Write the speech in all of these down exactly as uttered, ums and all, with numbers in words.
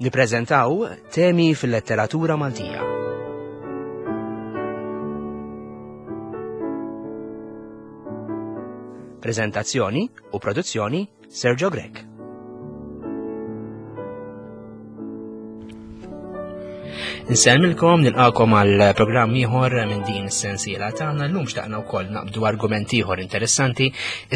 Nippreżentaw temi fil-letteratura Maltija. Prezentazzjoni u produzzjoni Sergio Grech. Nsellmilkom, nilqakom għal programm ieħor minn din is-sensiela tagħna. Llum xtaqna wkoll naqbdu argument ieħor interessanti,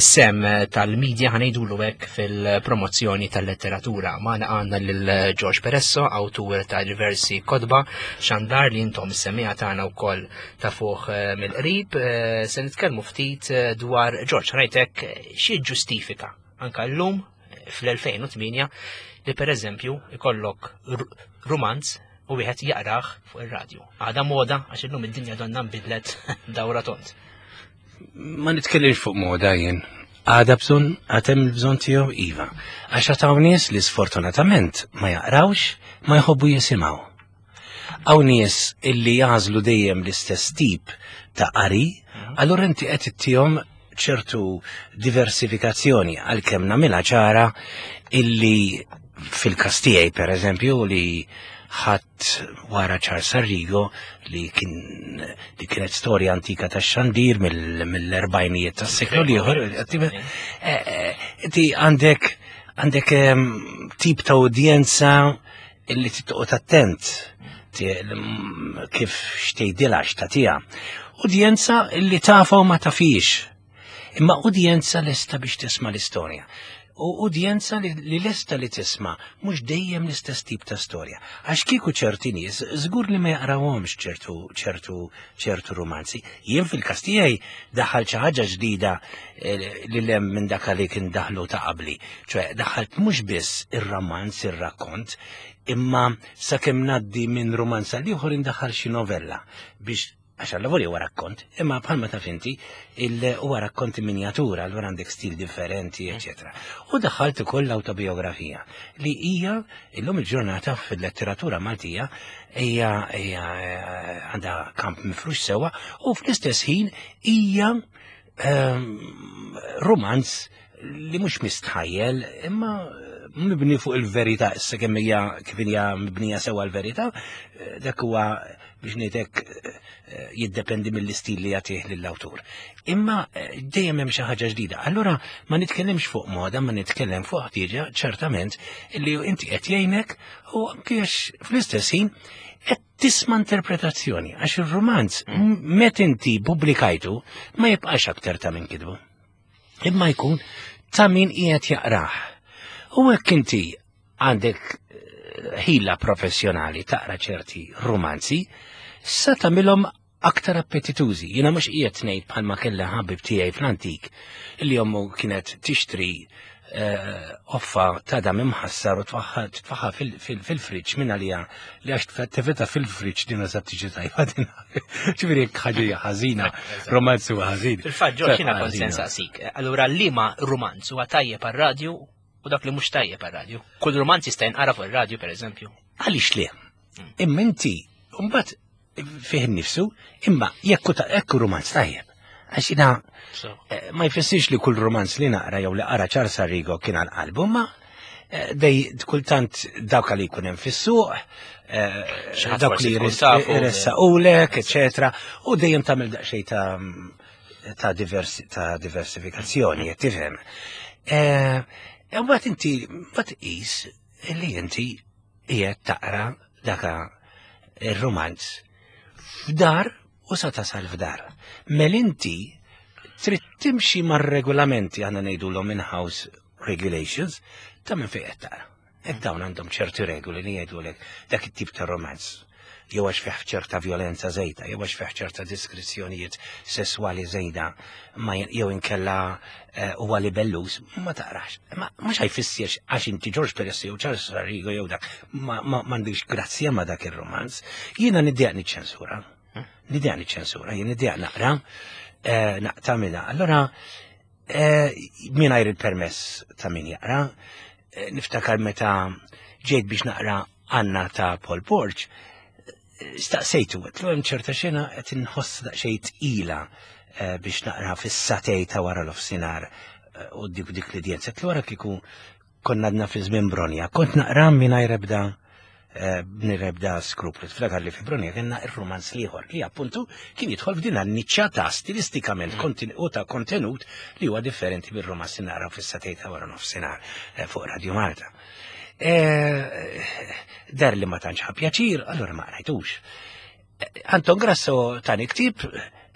is-sem tal-medja ħanejdulu hekk fil-promozzjoni tal-letteratura. Magħna għandna lil George Peresso, awtur ta' diversi kotba, xandar li intom is-semmiegħa tagħna wkoll ta' fuq mill-qrib. Se nitkellmu ftit dwar George, ħanajtek xi ġustifika anka llum fl-elfejn u tmienja li pereżempju ikollok rumanz u wieħed jaqrah fuq ir-radju. Għada moda għax illum id-dinja donna nbidlet dawra tont. Ma nitkellimx fuq moda jien. Għada bżonn, għad hemm il-bżonn tiegħu iva. Għax għad hawn nies li sfortunatament ma jaqrawx, ma jħobbu jisimgħu. Hawn nies illi jażlu dejjem l-istess tip ta' qari, allura inti qed ittihom ċertu diversifikazzjoni għalkemm nagħmilha ċara illi fil-każ tiegħi pereżempju li ħadd wara Charles Arrigo li kien li kienet storja antika tax-xandir mill-, mill-erbgħinijiet tas-seklu l-ieħor, inti għandek, għandek, ehm, tip ta' udjenza illi titqgħod attent kif xtejdilha x'tagħtiha. Udjenza illi tafa u ma tafix, imma udjenza lesta biex tisma' l-istorja. U udjenza li, li lesta li tisma' mhux dejjem l-istess tip ta' storja. Għax kieku ċerti nies żgur li ma jaqrawhomx ċertu, ċertu, ċertu romanzi. Jien fil-każ tiegħi daħal xi ħaġa ġdida, eh, li lem minn dak li kien daħlu ta' qabli. Ċoè daħalt mhux biss ir-romanz, ir-rakkont, imma sakemm ngħaddi minn romanz għal ieħor indaħħal xi novella biex għax għal-lavori huwa rakkont, imma bħalma taf inti, il-, huwa rakkonti minjatura, allura għandek stil differenti, eċetera. U daħħalt ukoll l-autobiografija li hija illum il-ġurnata fil-letteratura Maltija hija, hija, eh, għandha kamp mifrux sewwa u fl-istess ħin hija, ehm, romanz li mhux mistħajjel imma mibni fuq il-verità, issa kemm hija kif hija mibnija sewwa l-verità, eh, dak huwa biex ngħidlek, eh, jiddependi mill-istil li jagħtih lill-awtur. Imma, eh, dejjem hemm xi ħaġa ġdida. Allura ma nitkellimx fuq moda, ma nitkellem fuq ħtieġa ċertament li inti qed jgħinek u anke għax fl-istess ħin qed tisma' interpretazzjoni għax ir-romanz Mm. meta inti pubblikajtu ma jibqax aktar ta' min kitbu. Imma jkun ta' min qiegħed jaqrah. U hekk inti għandek, eh, ħila professjonali taqra ċerti romanzi, sa tagħmilhom aktar appetitużi. Jiena mhux qiegħed ngħid bħalma kellha ħabib tiegħi fl-antik li ommu kienet tixtri, eh, offa ta' dam imħassar u tfaħħa, tfaħħa fil-, fil-, fil-friġġ minn għalija li għax tfa-, tifetha fil-friġġ din eżatt tiġi tajba din. Ġifieri jekk ħaġa hija ħażina, romanz huwa ħażin. Fil-fatt, Ġorġ, jiena kont Ħażina. se nsaqsik. Allura liema romanz huwa tajjeb għar-radju u dak li mhux tajjeb għar-radju? Kull romanz jista' jinqara fuq ir-radju, pereżempju. Għaliex le? Imma inti mbagħad fih innifsu, imma jekk hu ta-, jekk hu romanz tajjeb. Għax jiena, So. eh, ma jfissirx li kull romanz li naqra jew li qara Charles Arrigo kien għal qalbu, ma, eh, dej kultant dawk li jkun hemm fis-suq, eh, Xi ħadd dawk forsi li tkun jres- tafu, jressaqulek, eċetera, u dejjem tagħmel daqsxejn ta', ta' diversi-, ta' diversifikazzjoni, qed tifhem. Eh, e mbagħad inti mbagħad tqis li inti qiegħed taqra daka ir-romanz f'dar u sa tasal f'dar. Mel inti trid timxi mar-regolamenti, aħna ngħidulhom in-house regulations, ta' minn fejn qed taqra. Hekk dawn għandhom ċerti regoli li jgħidulek dak it-tip ta' romanz. Jew għax fih ċerta violenza żejda, jew għax fih ċerta diskrizzjonijiet sesswali żejda, ma jen-, jew inkella, eh, huwa libellus, ma taqrax. Ma mhux ħajfissirx għax inti George Peresso jew Charles Arrigo jew dak, ma, ma, m'għandix grazzja ma dak ir-romanz. Jiena niddejjaq niċċensura. Niddejjaq niċċensura, jien niddejjaq naqra, eh, naqta' minna. Allura, eh, mingħajr il-permess ta' min jaqra, eh, niftakar meta ġejt biex naqra Anna ta' Paul Borg, staqsejtu, għetlu hemm ċerta xena qed inħoss daqsxejn tqila, eh, biex naqra fis-satej ta' wara l-ofsinhar, eh, u dik dik l-udjenza. Għetlu wara kieku konna għadna fi żmien Bronja, kont naqra mingħajr ebda b'nebda skruplu. Tiftakar li fi Brunia kellna ir-romanz l-ieħor li appuntu kien jidħol f'din niċċa ta' stilistikament u ta' kontenut li huwa differenti bir-romanz li naqraw fis-sagħtejn ta' wara nofsinhar fuq Radio Malta. Dar li ma tantx ħa pjaċir, allura ma qrajtux. Anton Grasso tani ktieb,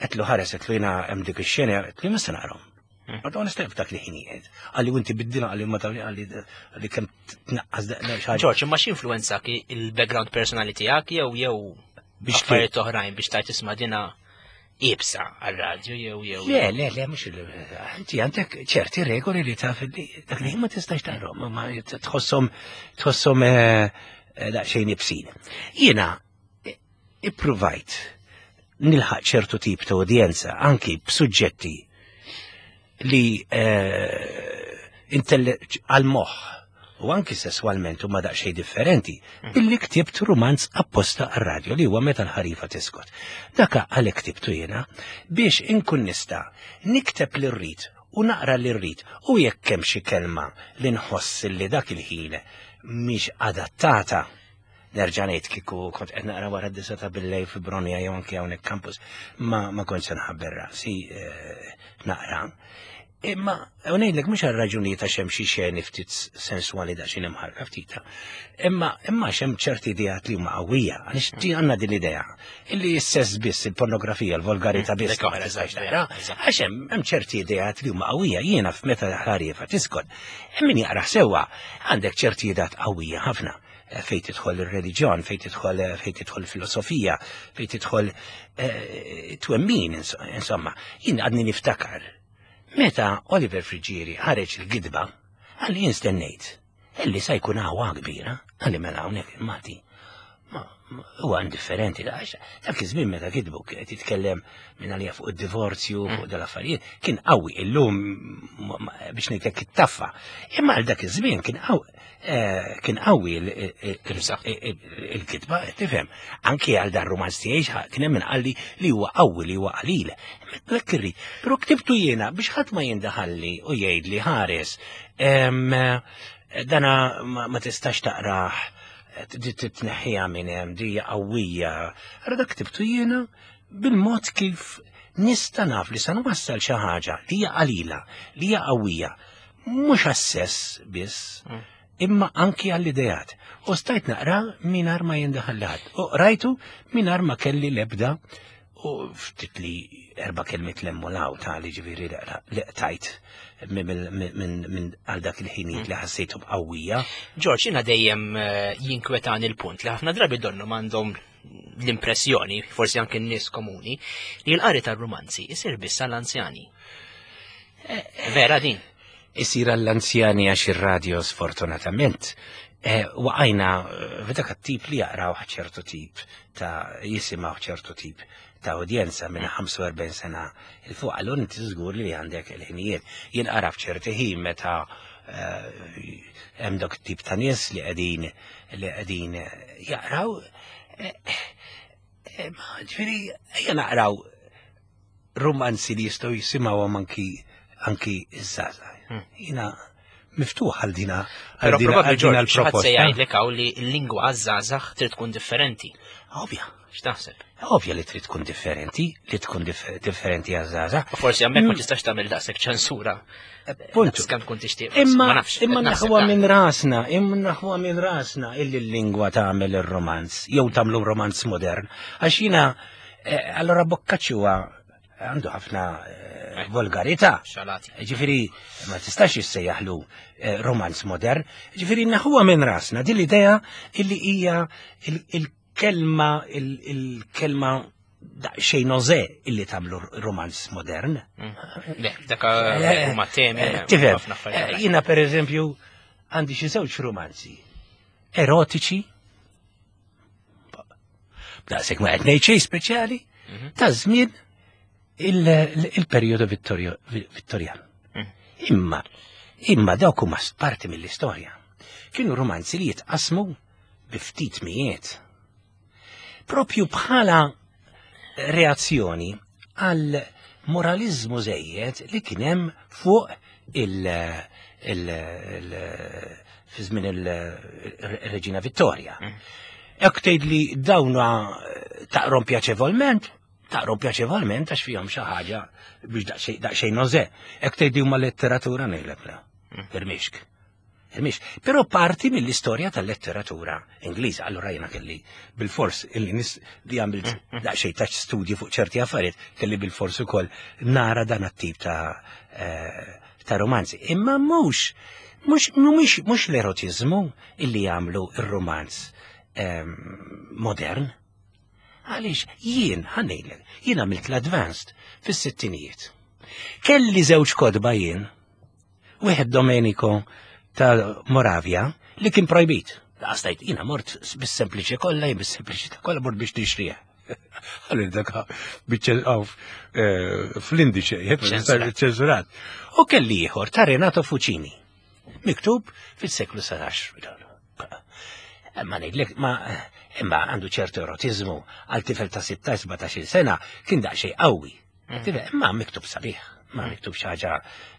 għedtlu ħares, għedtlu jiena hemm dik ix-xena, għedtlu ma se naqrahom. Għadu għan istajf dak li ħinijiet. Għalli inti biddina, għalli ma tawli, għalli kem tnaqqas xaġa. George, ma x'influenza il-background personali tiegħek jew jew biex affarijiet oħrajn biex tajt tisma' dina iebsa għal-radju jew jew. Le, le, le, mhux inti għandek ċerti regoli li taf li dak li ma tistax taqrahom, ma tħosshom tħosshom daqsxejn ibsin. Jiena ippruvajt nilħaq ċertu tip ta' udjenza anki b'suġġetti li għal-moħħ u anki sessualment huma daqsxejn differenti, billi ktibt romanz apposta għar-radju li huwa Meta l-ħarifa tiskot. Daka għalhekk ktibtu jiena biex inkun nista' nikteb li rrid u naqra li rrid u jekk hemm xi kelma li nħoss li dak il-ħin mhix adattata. Nerġa' ngħid kieku kont qed naqra wara d-disa ta' billejl fi Brunia jew anki hawnhekk campus, ma ma kontx se nħabber rasi naqra. Imma ngħidlek mhux għal raġunijiet għax hemm xi xeni ftit sensuali daqsxejn imħarka ftita. Imma imma hemm ċerti ideat li huma qawwija, għaliex ti għandna din l-idea illi s-sess biss, il-pornografija, il-volgarità biss. Għax hemm hemm ċerti ideat li huma qawwija, jiena f'Meta l-ħarifa tiskot. Hemm min jaqra sewwa, għandek ċerti ideat qawwija ħafna fejn tidħol ir-reliġjon, fejn tidħol fejn tidħol filosofija, fejn tidħol twemmin, insomma. Jien għadni niftakar meta Oliver Friggieri ħareġ il-gidba, għalli jien stennejt illi sa jkun għawa kbira, għalli mela hawnhekk il-Malti. Huwa indifferenti, għax dak iż-żmien meta kitbu qed jitkellem minn għalija fuq id-divorzju, fuq dal-affarijiet, kien qawwi illum biex ngħidlek it-taffa. Imma għal dak iż-żmien kien qawwi kien qawwi il-kitba, tifhem. Anki għal dan romanz tiegħi kien hemm min qalli li huwa qawwi li huwa qalil. Hekk irrid. Però ktibtu jiena biex ħadd ma jindaħalli u jgħidli ħares. Dana ma tistax taqrah, titneħħiha minn hemm, di qawwija. Ara dak ktibtu jiena bil-mod kif nista' naf li sa nwassal xi ħaġa li hija qalila, li hija qawwija, mhux għas-sess biss, imma anki għall-idejat. U stajt naqra mingħajr ma jindaħal ħadd. U rajtu mingħajr ma kelli l-ebda u ftit li erba' kelmiet l-emmolaw ta' li ġifieri li qtajt minn għal dak il-ħinijiet li ħassejtu b'qawwija. George, jiena dejjem jinkwetani l-punt li ħafna drabi donnu m'għandhom l-impressjoni, forsi anke n-nies komuni, li l-qari tar-romanzi isir biss għall-anzjani. Vera din? Isir għall-anzjani għax ir-radio sfortunatament waqajna f'dak it-tip li jaqraw ċertu tip ta' jisimgħu ċertu tip ta' udjenza minn ħamsa u erbgħin sena il fuq, allura inti żgur li għandek il-ħinijiet. Jien qara f'ċerti ħin meta hemm dak tip ta' nies li qegħdin li qegħdin jaqraw. Ġifieri ejja naqraw romanzi li jistgħu jisimgħuhom anki anki iż-żgħażagħ. Jiena miftuħ għal dina għal dina l-proposta. Se jgħidlek hawn li l-lingwa għaż-żgħażagħ trid tkun differenti. Ovvja. X'taħseb? Ovvja li trid tkun differenti, li tkun differenti għaż-żgħażagħ. Forsi hemmhekk ma tistax tagħmel daqshekk ċensura. Puntu. Kemm tkun tixtieq. Imma imma naħwa minn rasna, imma naħwa minn rasna illi l-lingwa tagħmel ir-romanz, jew tagħmlu romanz modern. Għax jiena allora Boccaccio għandu ħafna volgarità. Ġifieri ma tistax issejjaħlu romanz modern. Ġifieri naħwa minn rasna din l-idea illi hija il-kelma il-kelma daqsxejn nożè illi tagħmlu romanz modern. Le, dak huma temi. Tifhem, jiena pereżempju għandi xi żewġ romanzi erotiċi, daqshekk ma qed ngħid xejn speċjali, ta' żmien il-perjodu Vittorjan. Imma, imma dawk huma parti mill-istorja. Kienu romanzi li jitqasmu bi ftit mijiet. Propju bħala reazzjoni għal moralizmu żejjed li kien hemm fuq il- il- il- fi żmien il-Reġina Vittoria. Jekk tgħid li dawn taqrom pjaċevolment, taqrom pjaċevolment għax fihom xi ħaġa biex daqsxejn daqsxejn noże. Jekk tgħid li huma letteratura ngħidlek la. Irmixk. Irmixk. Però parti mill-istorja tal-letteratura Ingliża. Allura jiena kelli bil-fors illi nis li għamilt daqsxejn ta' studji fuq ċerti affarijiet, kelli bil-fors ukoll nara dan it-tip ta' eh, ta' romanzi. Imma mhux mhux mhux mhux l-erotizmu illi jagħmlu ir-romanz ehm, modern. Għaliex jien ħa ngħidlek, jien għamilt l-advanced fis-sittinijiet. Kelli żewġ kotba jien, wieħed Domenico ta' Moravia li kien projbit. Għastajt, jiena mort bis-sempliċi kollha, jien bis-sempliċi kollha mort biex nixtrih. Għalli dak biċċel fl-indiċe, Ċensurat. ċensurat. U kelli ieħor ta' Renato Fucini, miktub fis-seklu sbatax. Ma ngħidlek, ma imma għandu ċertu erotizmu għal tifel ta' sittax sbatax-il sena kien daqsxejn qawwi. Tifel, imma miktub sabiħ, ma miktub xi ħaġa.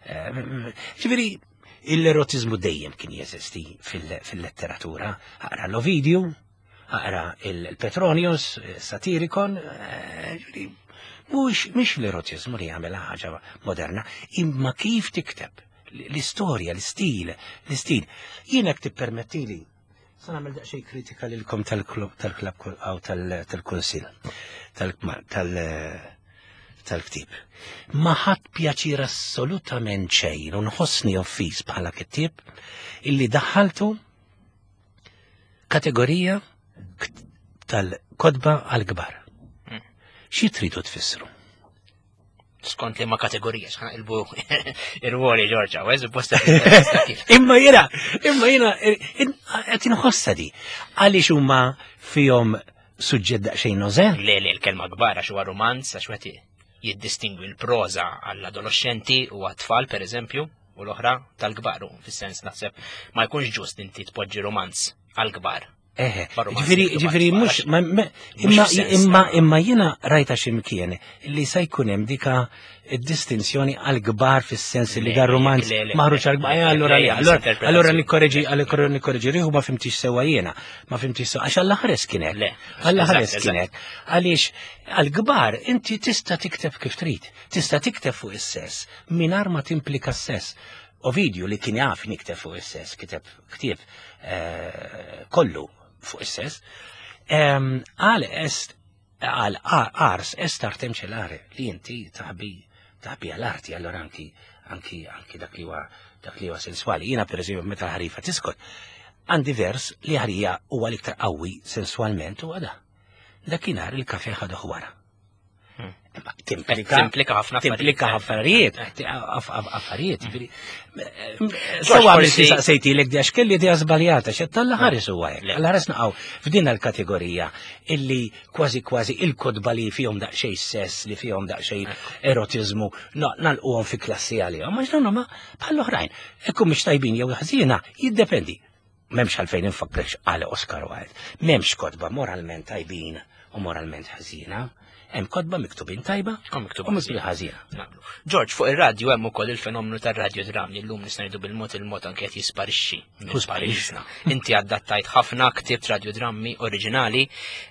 eh, Ġifieri, l-erotizmu dejjem kien jeżisti fil- fil-letteratura. Aqra l-Ovidiu, aqra il-Petronius, Satirikon, eh, ġifieri, mhux mhix l-erotizmu li jagħmel ħaġa moderna, imma kif tikteb l-istorja, l-istil, l-istil. Jiena tippermettili, sa nagħmel daqsxejn kritika lilkom tal-klub tal-klab aw tal-kunsill tal-ktieb. Ma ħadt pjaċir assolutament xejn u nħossni offiż bħala kittieb illi daħħaltu kategorija tal-kotba għal-kbar. Xi tridu tfissru? Skont li ma kategorija, xħan il-bu ir-ruoli Ġorġa, u posta. Imma jena, imma jena, qed inħossa di. Għaliex huma fihom suġġett daqsxejn noże? Le, le, l-kelma kbar għax huwa romanz, għax wieħed jiddistingwi l-proza għall-adolescenti u għat-tfal, per eżempju, u l-oħra tal-kbar, u fis-sens naħseb ma jkunx ġust inti tpoġġi romanz għal-kbar. Eħe, Barromanz ġifiri, miktub ġifiri, għat-tfal, mux, għax- ma, ma, mhux imma, sens imma, ta' imma jena rajta ximkien li sa jkun hemm dika distinzjoni għal-kbar fis-sens li Le, dar romanz le, le, maħruġ le, għal-kbar. le, Eh, Allora, le, le, allora, misinterpretazzjoni. allora nikkoreġi, allora nikkoreġi riħu ma fhimtix sewwa jiena, ma fhimtix sewwa, għax Alla ħares kien hekk. Le, Alla eżatt, ħares eżatt. kien hekk. Għaliex għal-kbar inti tista' tikteb kif trid, tista' tikteb fuq is-sess mingħajr ma timplika s-sess. Ovidiu li kien jaf nikteb fuq is-sess, kiteb ktieb eh, kollu fuq is-sess, em, għal est għal ars est artem celare li inti taħbi taħbi għal-arti, allora anki anki anki dak li huwa dak li huwa sensuali. Jiena per eżempju meta l-ħarifa tiskot, għandi vers li għalija huwa l-iktar qawwi sensualment huwa da. Dakinhar il-kafe ħaduh wara. Hmm. Imma Timplika Timplika ħafna timplika affarijiet. affarijiet, aff- aff- affarijiet, ġifieri. George, Sewa għamil forsi- saqsejtilek di għax kelli di żbaljata, xed tal ħares huwa hekk. Le. Alla ħares naqgħu f'din il-kategorija illi kważi kważi il-kotba li fihom daqsxejn sess, li fihom daqsxejn erotizmu, nagħlquhom fi klassi għalihom. Ma x'dawn huma bħall-oħrajn. Ekku mhux tajbin jew ħażina, jiddependi. M'hemmx għalfejn infakkrek għal Oscar Wilde. M'hemmx kotba moralment tajbin u moralment ħażina. Hemm kotba miktubin tajba Kom miktubin u miktubin ħażina. Naqblu. George, fuq ir-radju hemm ukoll il-fenomenu tar-radiodram li llum nista' ngħidu bil-mod il-mod anke qed jisparixxi minn Hu sparixxa. pajjiżna. Inti adattajt ħafna ktibt radiodrammi oriġinali,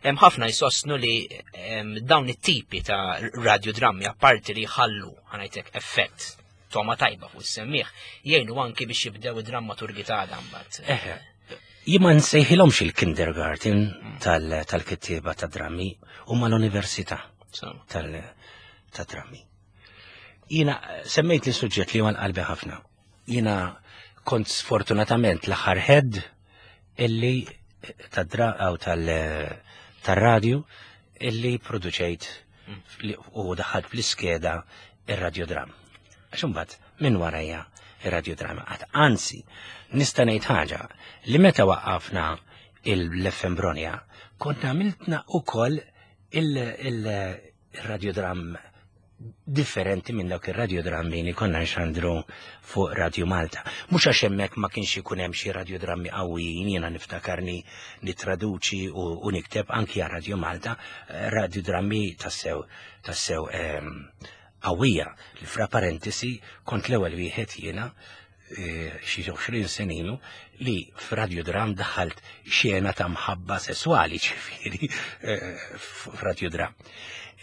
hemm ħafna jsostnu li em, dawn it-tipi ta' radiodrammi apparti li jħallu ħa ngħidlek effett toma tajba fuq is-semmieħ, jgħinu anki biex jibdew id-drammaturgi ta' mbagħad. Eħe. Jien ma nsejħilhomx il-kindergarten tal- tal-kittieba ta' drammi u mal-università So, tal- ta' drammi. Jiena eh, semmejt li suġġett li huwa qalbi ħafna. Jiena kont sfortunatament l-aħħar head illi ta' dra aw tal- tal-radju illi produċejt li- u daħalt fl-iskeda ir-radiodram. Għax imbagħad minn warajja ir-radiodrama qatt. Anzi, nista' ngħid ħaġa li meta waqqafna il-F M Bronia, konna għamiltna ukoll il-radiodram differenti minn dawk ir-radiodrammi li konna nxandru fuq Radio Malta. Mhux għax hemmhekk ma kienx ikun hemm xi radiodrammi qawwijin, jiena niftakarni nitraduċi u, u nikteb anki għal Radio Malta, eh, radiodrammi tassew tassew ehm, qawwija li fra parentesi kont l-ewwel wieħed jiena eh, xi għoxrin sena ilu li f'radiodram daħalt xena ta' mħabba sesswali, ġifieri eh, f'radiodram.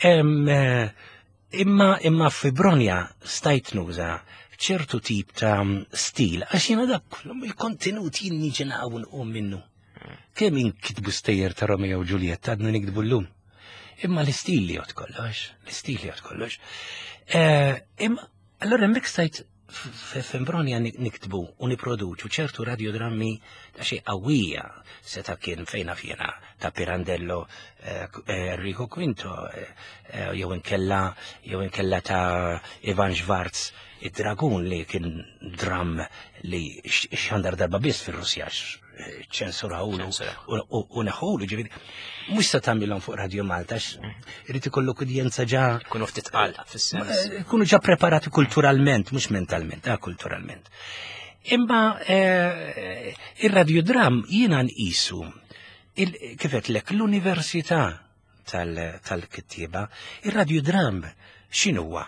Em, eh, Imma imma fi Bronja stajt nuża ċertu tip ta' stil, għax jiena dak il-kontenut jien niġi naqgħu nqum minnu. Kemm inkitbu stejjer ta' Romeo u Giulietta għadna nikdbu llum. Imma l-istil li jgħod kollox, l-istil li jgħod kollox. Eh, Imma allora hemmhekk stajt f'Imbronja niktbu u niproduċu ċertu radiodrammi ta' xi qawwija, seta' kien fejna fjena ta' Pirandello, eh, eh, Enrico Quinto, eh, eh, jew inkella jew inkella ta' Ivan Schwarz, id-Dragun, li kien dram li x- xandar darba biss fir-Russja, ċensurawlu Ċensuraw. u u neħulu, ġifieri mhux se tagħmilhom fuq Radio Malta, għax irid ikollok udjenza ġa Kunu ftit qal fis-sens. Eh, kunu ġa preparati kulturalment, mhux mentalment, ah, kulturalment. Imma eh, ir-radiodram jiena nqisu il- kif lek l-università tal- tal-kittieba, ir-radiodram x'inhuwa?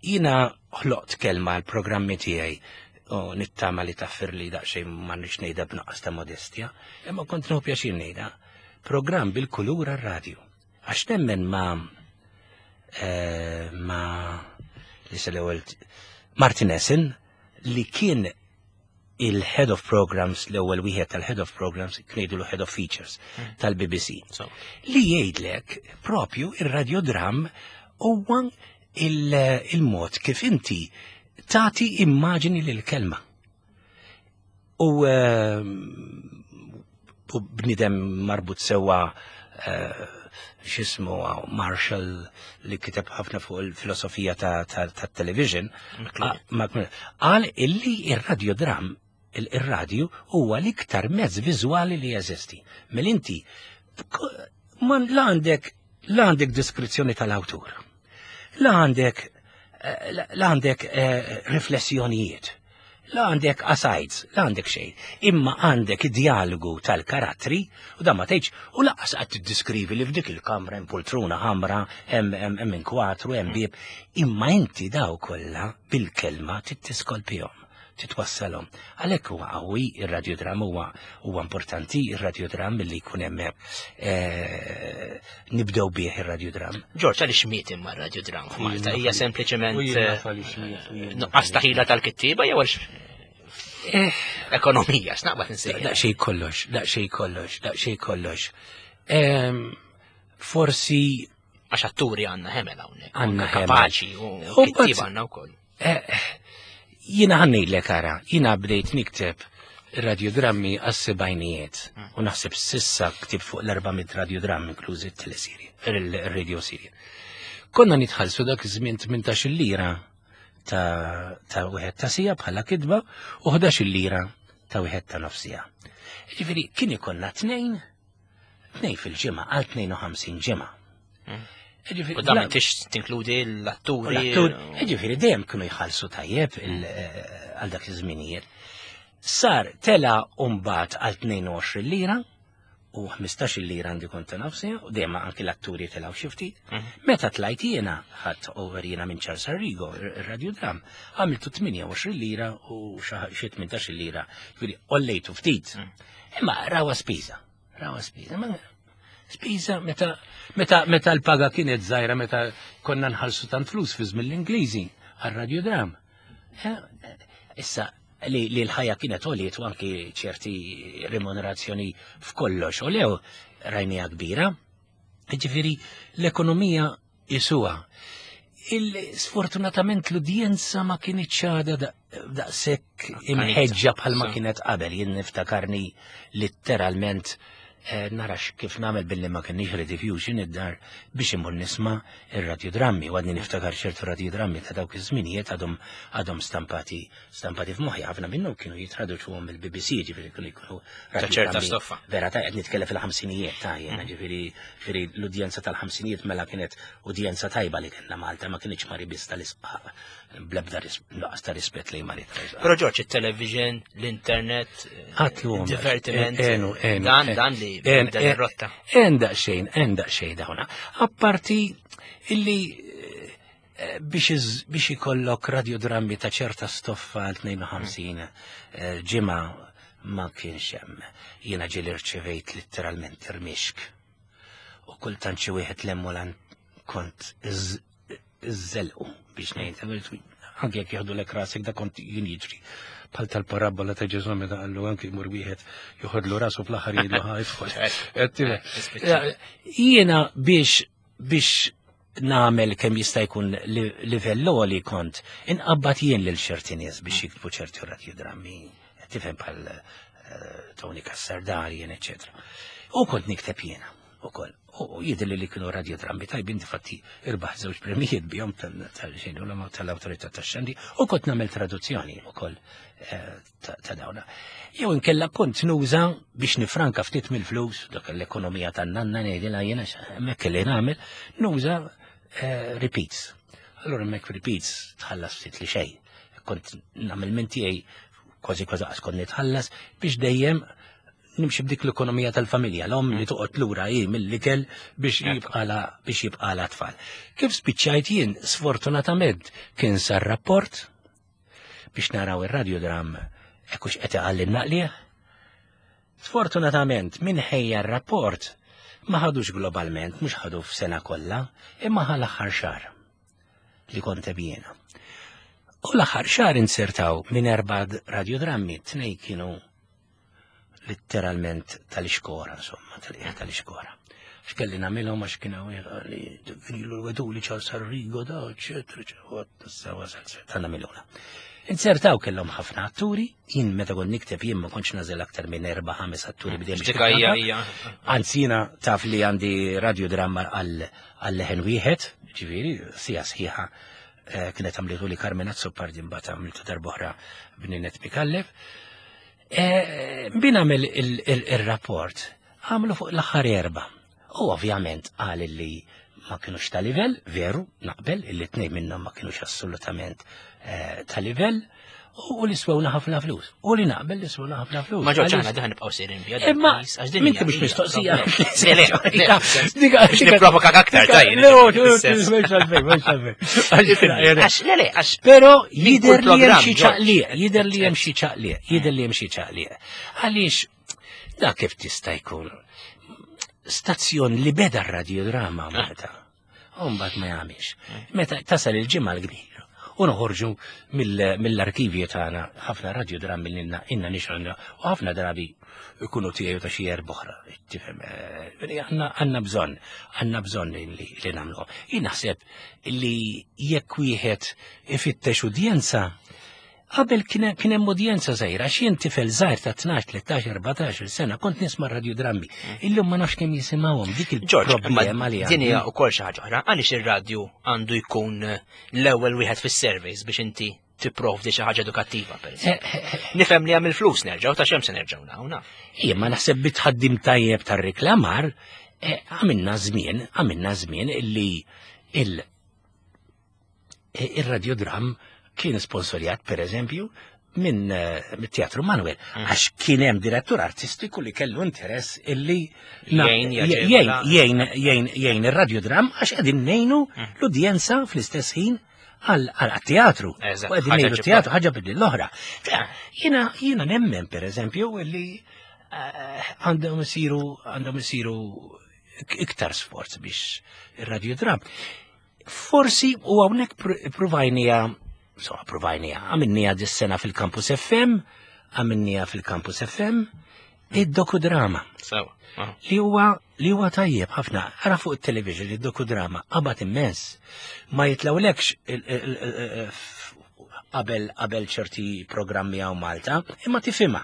Jiena ħloqt kelma l-programmi tiegħi u nittama li taffir li daqsxejn ma nix ngħidha b'nuqqas ta' modestja, imma kont nieħu pjaċir ngħidha. Programm bil-kulur għar-radju. Għax nemmen ma eh, ma li l-ewwel Martin Essen, li kien il-head of programs, l-ewwel wieħed tal-head of programs, kien head of features tal-B B C. So, Li jgħidlek propju ir-radiodram huwa il- il-mod kif inti tagħti immaġini lil kelma. U eh, u bnidem marbut sewa, eh, x'ismu, Marshall, li kiteb ħafna fuq il-filosofija ta' ta' ta' television, McLuhan. qal illi ir-radiodram, il-radju huwa l-iktar mezz viżwali li jeżisti. Mel inti man la għandek la għandek deskrizzjoni tal-awtur, la għandek eh, la la għandek eh, riflessjonijiet, la għandek asides, la għandek xejn, imma għandek id-dialogu tal-karattri u dan ma tgħidx u lanqas qed tiddiskrivi li f'dik il-kamra hemm poltruna ħamra, hemm hemm hemm inkwatru, hemm bieb, imma inti daw kollha bil-kelma tittiskolpihom, titwassalhom. Għalhekk huwa qawwi ir-radiodram, huwa huwa importanti ir-radiodram li jkun hemm, eh, nibdew bih ir-radiodram. George, għaliex miet imma r-radiodram f'Malta? Hija sempliċement U jien naf eh, għaliex miet, u jien naf nuqqas ta' ħila tal-kittieba jew għaliex Eh, ekonomija, x'naqbad nsejjaħ. Daqsxejn kollox, daqsxejn kollox, daqsxejn kollox. Em, Forsi Għax atturi għandna ħemel hawnhekk. Għandna ħemel. Kapaċi u U kittieba mbagħad- għandna wkoll. eh, jiena ħa ngħidlek ara, jiena bdejt nikteb radiodrammi għas-sebgħinijiet u naħseb s'issa ktibt fuq l-erba' mitt radiodrammi, inklużi t-teleserje, il-radio serial. Konna nitħallsu dak iż-żmien tmintax lira ta' ta' wieħed ta' siegħa bħala kitba u ħdax lira ta' wieħed ta' nofs siegħa. Ġifieri kien ikollna tnejn tnejn fil-ġimgħa għal tnejn u ħamsin ġimgħa. Ġifieri U dan bla- m'intix tinkludi l-atturi. L-attur, ġifieri dejjem kienu jħallsu tajjeb il- eh, għal dak iż-żminijiet. Sar tela mbagħad għal tnejn u għoxrin lira u ħmistax lira għandi kont ta' nofsi, u dejjem anki l-atturi telgħu xi ftit. Mhm. Meta tlajt jiena, ħadt over jiena minn Charles Arrigo, ir-radiodram, għamiltu tmienja u għoxrin lira u xi tmintax lira, ġifieri għollejtu ftit. Imma rawa spiża, rawa spiża. Ma spiża meta meta meta l-paga kienet żgħira, meta konna nħallsu tant flus fi żmien l-Ingliżi għar-radiodram. Eh, eh, Issa li, li l-ħajja kienet għoliet u anki ċerti remunerazzjoni f'kollox u lew rajnija kbira. Ġifieri l-ekonomija jisuha. Il-sfortunatament l-udjenza ma kienitx għadha daqshekk imħeġġa bħalma So. kienet qabel. Jien niftakarni litteralment eh, narax kif nagħmel billi ma kienx rediffusion id-dar biex imur nisma' ir-radiodrammi. U għadni niftakar ċertu radiodrammi ta' dawk iż-żminijiet għadhom għadhom stampati stampati f'moħħi. Ħafna minnhom kienu jitraduċuhom mill-B B C, ġifieri kienu jkunu Ta' ċerta radiodrammi stoffa. vera ta' qed nitkellem fil-ħamsinijiet ta' jiena, ġifieri ġifieri l-udjenza tal-ħamsinijiet mela kienet udjenza tajba li kellna Malta, ma kienx mari biss tal-isqaq, blebda ris- nuqqas ta' rispett lejn mari tal-isqaq. Però George, il-television, l-internet, Għatlu divertiment, enu, enu, dan en- dan li en- dan en- ir-rotta. En daqxejn, en daqxejn dawna. Apparti illi Eh, biex biex ikollok radiodrammi ta' ċerta stoffa għal tnejn u ħamsin eh, ġimgħa ma kienx hemm. Jiena ġieli rċevejt letteralment irmixk. U kultant xi wieħed lemmolan kont iżżelqu biex ngħid, anke jekk jieħdu lek rasek, da kont jien jiġri. Bħal tal-parabola ta' Ġesu meta qallu anke jmur wieħed joħodlu rasu, fl-aħħar jgħidlu ħa idħol. Jiena biex biex nagħmel kemm jista' jkun livell li kont inqabbad jien lil ċerti nies biex jiktbu ċerti radiodrammi, tifhem, bħal eh, Tony Cassar Darien, eccetera. U kont nikteb jiena ukoll. U jidher li kienu radiodrammi tajbin, difatti irbaħ żewġ premijiet bihom tal-xejn tal-awtorità tax-xandir, u kont nagħmel traduzzjoni ukoll eh, ta' dawna. Jew inkella kont nuża biex nifranka ftit mill-flus, dak l-ekonomija tan-nanna ngħidilha jiena, hemmhekk li nagħmel, nuża eh, repeats. Allura hemmhekk repeats tħallas ftit li xejn. Kont nagħmel minn tiegħi, kważi kważi qas kont nitħallas, biex dejjem nimxi b'dik l-ekonomija tal-familja, l-om li toqgħod lura hi mill-ikel biex jibqala biex jibqala tfal. Kif spiċċajt jien, sfortunatament, kien sar rapport biex naraw ir-radiodram ekkux qed iqalli naqlieh. Sfortunatament, min ħejja r-rapport ma ħadux globalment, mhux ħadu f'sena kollha, imma ħa l-aħħar xahar li kont jiena. U l-aħħar xahar insertaw minn erba' radiodrammi, tnej kienu letteralment tal-iskora, insomma, tal-iskora. X'kelli nagħmilhom għax kienu li kienu wedu li Charles Arrigo da, eċetera, eċetera, ta' nagħmiluna. Insertaw kellhom ħafna atturi, jien meta kont nikteb jien ma kontx nażel aktar minn erba' ħames atturi bidejjem biex Dik hija tikanta. Hija. Anzi, jiena taf li għandi radiodramma għal għal leħen wieħed, ġifieri, sija sħiħa, eh, kienet għamlitu li Carmen Azzopardi, mbagħad għamiltu darb'oħra b'Ninet Micallef. Eh, Bin għamel il-rapport, għamlu fuq l-aħħar erba. U ovvjament qal li ma kienux ta' livell, veru, naqbel, illi tnej minnhom ma kienux assolutament eh, ta' livell, u li swewna ħafna flus. U li naqbel li swewna ħafna flus. Ma Ġorġ Għaliex- aħna daħ nibqgħu sejrin biha. Imma, minti mhux mistoqsija. Le, le, le. Biex nipprovokak aktar, tajjeb. Le, mhux għalfejn, mhux għalfejn. Għax, le, le, għax. Pero Min jider kull li hemm xi programm, ċaqliq, jider li hemm xi ċaqliq, jider li hemm xi ċaqliq. Għaliex da kif tista' jkun stazzjon li beda r-radiodrama Malta? U mbagħad ma jagħmilx. Meta tasal il-Ġimgħa l-Kbira u noħorġu mill-arkivju tagħna ħafna radiodrammi li inna inna nixgħolna u ħafna drabi ikunu tiegħu ta' xi erba' oħra. Tifhem, eh, għandna għandna bżonn, għandna bżonn li li nagħmluhom. Jien naħseb li jekk wieħed ifittex udjenza, qabel kien kien hemm udjenza żgħira, għax jien tifel żgħir ta' tnax, tlettax, erbatax sena kont nisma' radiodrammi. Illum ma nafx kemm jisimgħuhom, dik Ġorġ, il-problema li din hija għandi. wkoll xi ħaġa oħra. Għaliex ir-radju għandu jkun l-ewwel wieħed fis-surveys biex inti tipprovdi xi ħaġa edukattiva, pereżempju? Nifhem li hemm il-flus, nerġgħu ta' xem se nerġgħu naw naf. Jien ma naħseb bitħaddim tajjeb tar-reklamar, eh, għamilna żmien, għamilna żmien illi il- eh, il-radiodram kien sponsorjat, per eżempju, minn eh, mit-Teatru Manuel, għax kien hemm direttur artistiku li kellu interess illi na- Jgħin, jgħin, jaġevola. jgħin, jgħin, jgħin ir-radiodram għax qegħdin ngħinu l-udjenza fl-istess ħin għal għal teatru. Eżatt, U qegħdin ħaġa ngħinu ġibba. teatru, ħaġa bidli l-oħra. Jiena jiena nemmen, per eżempju, illi eh, għandhom isiru għandhom isiru iktar sforz biex ir-radiodram. Forsi u hawnhekk pr- provajnija, insomma, provajnija, għamilnija dis-sena fil-Campus F M, għamilnija fil-Campus F M, id-dokudrama Sewa. aha. li huwa li huwa tajjeb ħafna. Ara fuq it-television id-dokudrama qabad immens. Ma jitlawlekx il- il- il- f- qabel qabel ċerti programmi hawn Malta, imma tifhimha.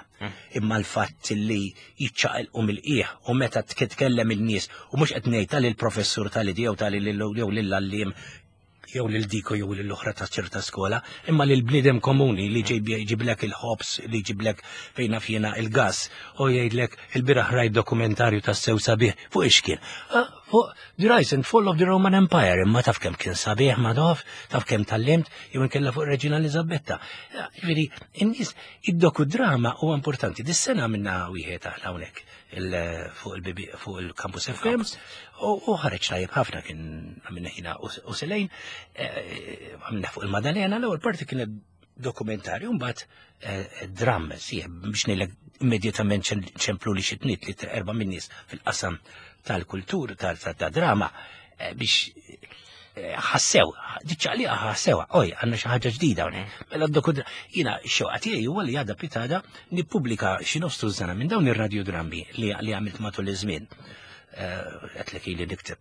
Imma l-fatt li jiċċaqilqu mill-qiegħ u meta titkellem il-nies, u mhux qed ngħid tal il-professur tal-idi jew tal jew lill-għalliem jew lil diko jew lil oħra ta' ċerta skola, imma lil bniedem komuni li ġejb jġiblek il-ħobs, li jġiblek fejna fjena il-gas, u jgħidlek il-bieraħ rajt dokumentarju ta' sew sabiħ fuq ix kien. Ah, Fuq The Rise and Fall of the Roman Empire, imma taf kemm kien sabiħ Madoff, taf kemm tgħallimt, jew inkella fuq Reġina Elizabetta. Ġifieri, in-nies id-dokudrama huwa importanti. Dis-sena minna wieħed aħna hawnhekk fuq il-B B fuq il-Campus F M u ħareġ tajjeb ħafna, kien għamilna ħina u selejn, eh, għamilna fuq il-Madalena, l-ewwel parti kienet dokumentarju, mbagħad eh, dram, sieħ biex ngħidlek immedjatament ċemplu li xi tnejn li erba' min-nies fil-qasam tal-kultur, tal-drama, eh, biex eh, ħassew, diċċaqliqa ħassew, oj, għandna xi ħaġa ġdida hawnhekk. Mela d jiena x-xewqa tiegħi huwa li għada pitgħada nippubblika xi nofs tużżana minn dawn ir-radiodrammi li għamilt matul iż-żmien. Għedtlek ili nikteb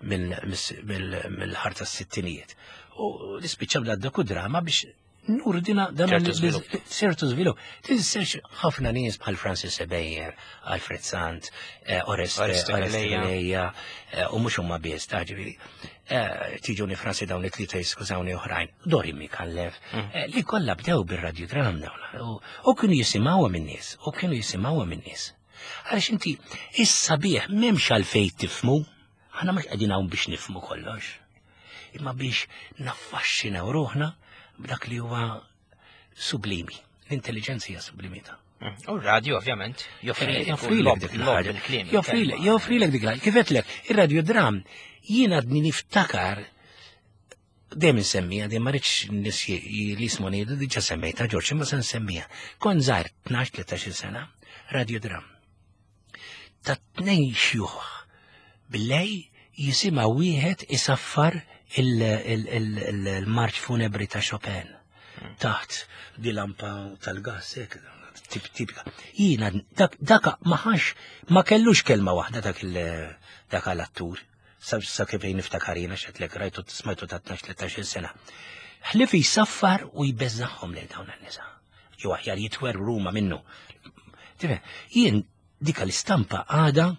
mill-ħar tas-sittinijiet. U nispiċċa bla dokudrama biex nurdina dan ċertu żvilupp. Tinsiex ħafna nies bħal Francis Ebejer, Alfred Sant, eh, Oreste Galea, eh, u mhux huma biss, ta' ġifieri. Eh, tiġuni Fransi dawn it-tlieta, jiskużawni oħrajn, Dori Mikallef, mm. li kollha bdew bir-radiodram dawn. U kienu jisimgħuha min-nies, u kienu jisimgħuha min-nies. Għaliex inti is-sabiħ m'hemmx għalfejn tifhmu, aħna mhux qegħdin hawn biex nifhmu kollox, imma biex naffaxxinaw ruħna b'dak li huwa sublimi. L-intelligenza hija sublimita. Mm. U r-radio ovvjament joffrilek dik il-ħaġa. Joffrilek dik il-ħaġa. Kif għedtlek, ir-radiodram jiena għadni niftakar dejjem insemmija, dejjem ma rridx nies li jismuni, diġà semmejta Ġorġ, imma se nsemmija. Kont żgħir tnax tlettax-il sena, radiodram. Ta' tnejn xjuħ billejl jisimgħu wieħed isaffar il-marċ funebri ta' Chopin taħt di lampa tal-gas, tipika. Jiena, dak maħax, ma kellux kelma waħda dak dak l-attur. Sa kif niftakar jiena, x'għedtlek rajtu smajtu ta' tnax tlettax-il sena. Ħlief jisaffar u jbeżżagħhom lil dawn in-nisa. Jew aħjar jitwerwru huma minnu. Jien dika l-istampa għada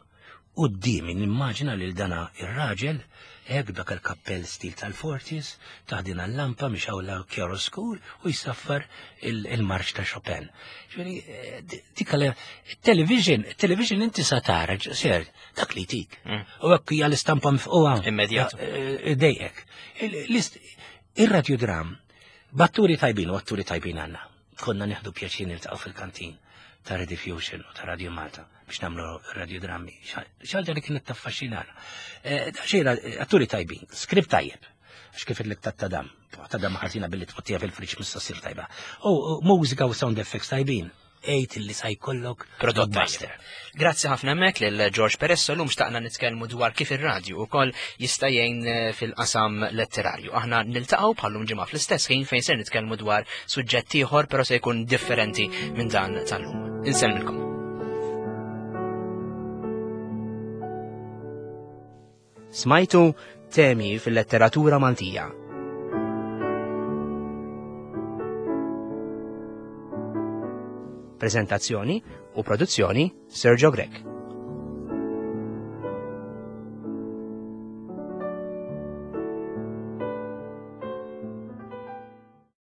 quddiemi, nimmaġina lil dana ir-raġel hekk dak il-kappell stil tal-forties, taħt din l-lampa mixgħula chiaroscur u jisaffar il-marċ ta' Chopin. Ġifieri, eh, dika television, television inti sa tara, ser, dak li tik. Mm. U hekk hija l-istampa mifqugħa. Immedjat. Eh, dejqek. Ir-radiodram, b'atturi tajbin u atturi tajbin għandna. Konna nieħdu pjaċir niltaqgħu fil-kantin ta' Rediffusion u ta' Radio Malta biex nagħmlu radiodrammi. Xi ħaġa li kienet taffaxxinana. Eh, xejra, atturi tajbin, skript tajjeb. Għax kif il ta' tadam, tadam ħażina billi tpottija fil-friġ mista ssir tajba. U mużika u sound effects tajbin. Ejt li sa jkollok prodott master. Grazzi ħafna mek lil George Peresso. Llum xtaqna nitkellmu dwar kif ir-radju ukoll jista' jgħin eh, fil-qasam letterarju. Aħna niltaqgħu bħallum ġimgħa fl-istess ħin fejn se nitkellmu dwar suġġett ieħor, però se jkun differenti minn dan tal-lum. Insellmilkom. Smajtu Temi fil-letteratura Maltija. Prezentazzjoni u produzzjoni Sergio Grech.